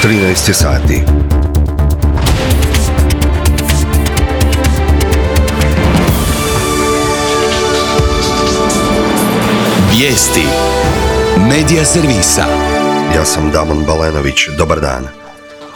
13 sati. Vijesti Medija servisa. Ja sam Damon Balenović, dobar dan.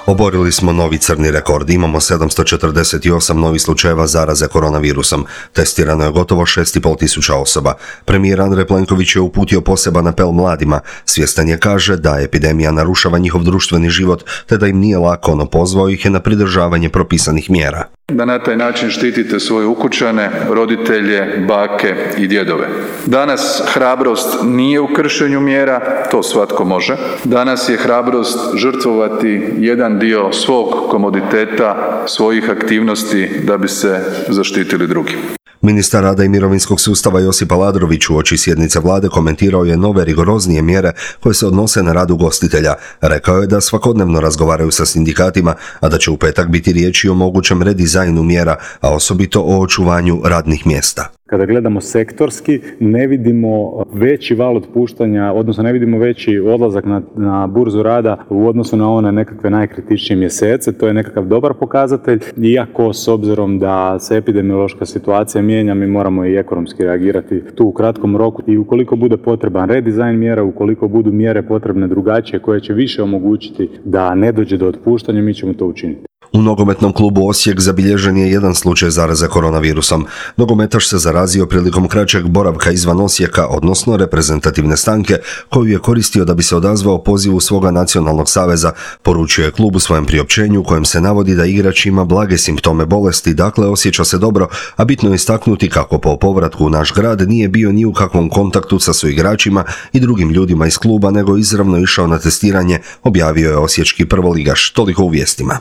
Oborili smo novi crni rekord, imamo 748 novih slučajeva zaraze koronavirusom. Testirano je gotovo 6.500 osoba. Premijer Andrej Plenković je uputio poseban apel mladima. Svjestan je, kaže, da epidemija narušava njihov društveni život, te da im nije lako, no pozvao ih je na pridržavanje propisanih mjera. Da na taj način štitite svoje ukućane, roditelje, bake i djedove. Danas hrabrost nije u kršenju mjera, to svatko može. Danas je hrabrost žrtvovati jedan dio svog komoditeta, svojih aktivnosti da bi se zaštitili drugi. Ministar rada i mirovinskog sustava Josip Aladrović uoči sjednice vlade komentirao je nove rigoroznije mjere koje se odnose na rad ugostitelja. Rekao je da svakodnevno razgovaraju sa sindikatima, a da će u petak biti riječi o mogućem redizajnu mjera, a osobito o očuvanju radnih mjesta. Kada gledamo sektorski, ne vidimo veći val otpuštanja, odnosno ne vidimo veći odlazak na burzu rada u odnosu na one nekakve najkritičnije mjesece. To je nekakav dobar pokazatelj, iako s obzirom da se epidemiološka situacija mijenja, mi moramo i ekonomski reagirati tu u kratkom roku. I ukoliko bude potreban redizajn mjera, ukoliko budu mjere potrebne drugačije koje će više omogućiti da ne dođe do otpuštanja, mi ćemo to učiniti. U nogometnom klubu Osijek zabilježen je jedan slučaj zaraze koronavirusom. Nogometaš se zarazio prilikom kraćeg boravka izvan Osijeka, odnosno reprezentativne stanke, koju je koristio da bi se odazvao pozivu svoga nacionalnog saveza, poručio je klub u svojem priopćenju u kojem se navodi da igrač ima blage simptome bolesti, dakle osjeća se dobro, a bitno je istaknuti kako po povratku u naš grad nije bio ni u kakvom kontaktu sa suigračima i drugim ljudima iz kluba, nego izravno išao na testiranje, objavio je osječki prvoligaš. Toliko u vijestima.